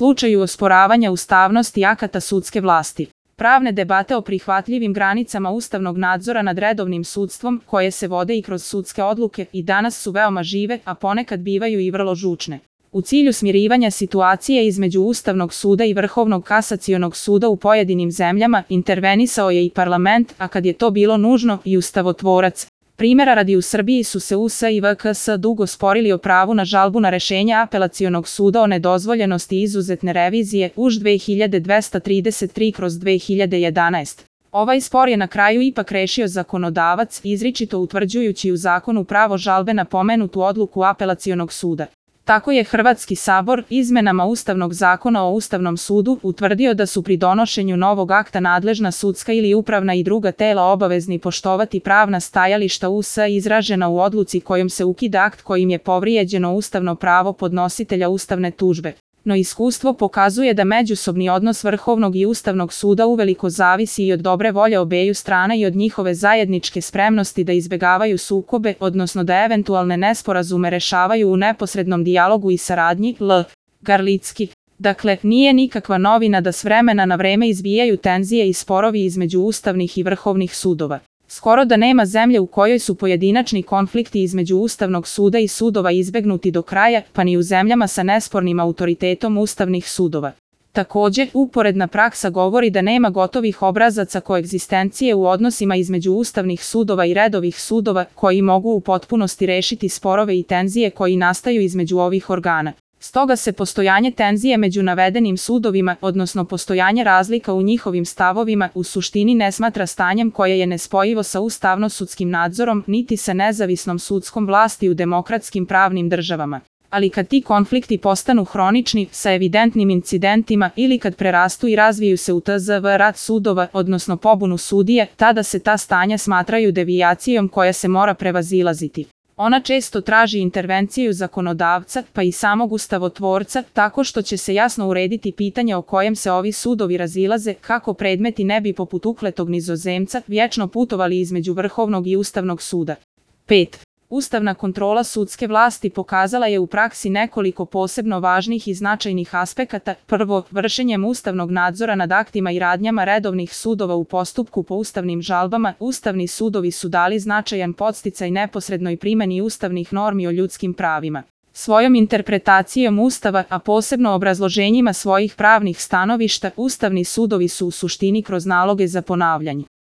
slučaju osporavanja ustavnosti akata sudske vlasti. Pravne debate o prihvatljivim granicama ustavnog nadzora nad redovnim sudstvom, koje se vode i kroz sudske odluke, i danas su veoma žive, a ponekad bivaju i vrlo žučne. U cilju smirivanja situacije između Ustavnog suda i Vrhovnog kasacionog suda u pojedinim zemljama, intervenisao je i parlament, a kad je to bilo nužno, i ustavotvorac. Primjera radi, u Srbiji su se US i VKS dugo sporili o pravu na žalbu na rešenje Apelacionog suda o nedozvoljenosti izuzetne revizije UŽ 2233/2011. Ovaj spor je na kraju ipak rešio zakonodavac, izričito utvrđujući u zakonu pravo žalbe na pomenutu odluku Apelacionog suda. Tako je Hrvatski sabor izmenama Ustavnog zakona o Ustavnom sudu utvrdio da su pri donošenju novog akta nadležna sudska ili upravna i druga tela obavezni poštovati pravna stajališta US izražena u odluci kojom se ukida akt kojim je povrijeđeno ustavno pravo podnositelja ustavne tužbe. No iskustvo pokazuje da međusobni odnos Vrhovnog i Ustavnog suda uveliko zavisi i od dobre volje obeju strana i od njihove zajedničke spremnosti da izbegavaju sukobe, odnosno da eventualne nesporazume rešavaju u neposrednom dijalogu i saradnji. Garlicki. Dakle, nije nikakva novina da s vremena na vreme izbijaju tenzije i sporovi između ustavnih i vrhovnih sudova. Skoro da nema zemlje u kojoj su pojedinačni konflikti između Ustavnog suda i sudova izbegnuti do kraja, pa ni u zemljama sa nespornim autoritetom ustavnih sudova. Također, uporedna praksa govori da nema gotovih obrazaca koegzistencije u odnosima između ustavnih sudova i redovih sudova, koji mogu u potpunosti rešiti sporove i tenzije koji nastaju između ovih organa. Stoga se postojanje tenzije među navedenim sudovima, odnosno postojanje razlika u njihovim stavovima, u suštini ne smatra stanjem koje je nespojivo sa ustavno-sudskim nadzorom, niti sa nezavisnom sudskom vlasti u demokratskim pravnim državama. Ali kad ti konflikti postanu hronični, sa evidentnim incidentima, ili kad prerastu i razviju se u tzv. Rat sudova, odnosno pobunu sudije, tada se ta stanja smatraju devijacijom koja se mora prevazilaziti. Ona često traži intervenciju zakonodavca, pa i samog ustavotvorca, tako što će se jasno urediti pitanje o kojem se ovi sudovi razilaze, kako predmeti ne bi poput ukletog Nizozemca vječno putovali između Vrhovnog i Ustavnog suda. 5. Ustavna kontrola sudske vlasti pokazala je u praksi nekoliko posebno važnih i značajnih aspekata. Prvo, vršenjem ustavnog nadzora nad aktima i radnjama redovnih sudova u postupku po ustavnim žalbama, ustavni sudovi su dali značajan podsticaj neposrednoj primjeni ustavnih normi o ljudskim pravima. Svojom interpretacijom Ustava, a posebno obrazloženjima svojih pravnih stanovišta, ustavni sudovi su u suštini kroz naloge za ponavljanje